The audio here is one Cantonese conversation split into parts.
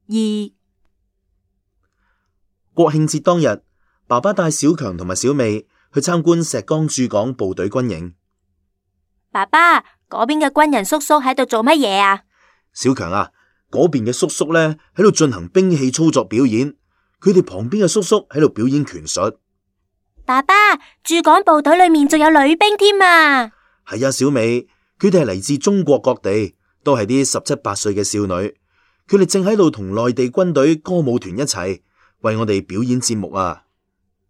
2。國慶節當日，爸爸帶小強同埋小美去參觀石崗駐港部隊軍營。爸爸，嗰邊嘅軍人叔叔喺度做乜嘢啊？小強啊，嗰邊嘅叔叔呢喺度進行兵器操作表演，佢哋旁邊嘅叔叔喺度表演拳術。爸爸，駐港部隊裏面仲有女兵添啊！係啊，小美，佢哋係嚟自中國各地，都係啲17、18歲嘅少女，佢哋正喺度同內地軍隊歌舞團一齊為我哋表演節目啊！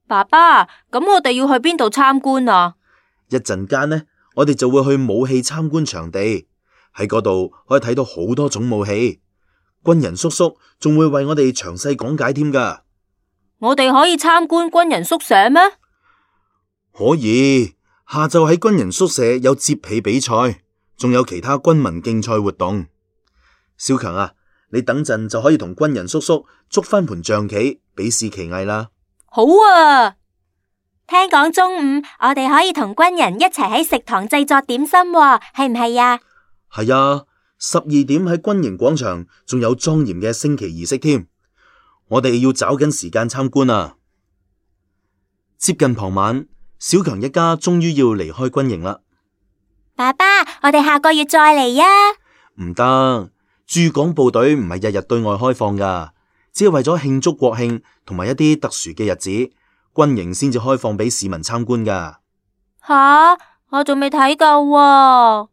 爸爸，咁我哋要去邊度參觀啊？一陣間呢，我哋就會去武器參觀場地，喺嗰度可以睇到好多種武器，軍人叔叔仲會為我哋詳細講解添㗎。我哋可以參觀軍人宿舍咩？可以，下晝喺軍人宿舍有接被比賽，仲有其他軍民競賽活動。小強啊，你等陣就可以同軍人叔叔捉翻盤象棋，比試棋藝啦。好啊！聽講中午我哋可以同軍人一齊喺食堂製作點心喎，係唔係啊？係啊，12點喺軍營廣場仲有莊嚴嘅升旗儀式添。我哋要找緊時間參觀啊！接近傍晚，小強一家終於要離開軍營啦。爸爸，我哋下個月再嚟啊！唔得，駐港部隊唔係日日對外開放噶，只係為咗慶祝國慶同埋一啲特殊嘅日子，軍營先至開放俾市民參觀噶。吓，我仲未睇夠喎。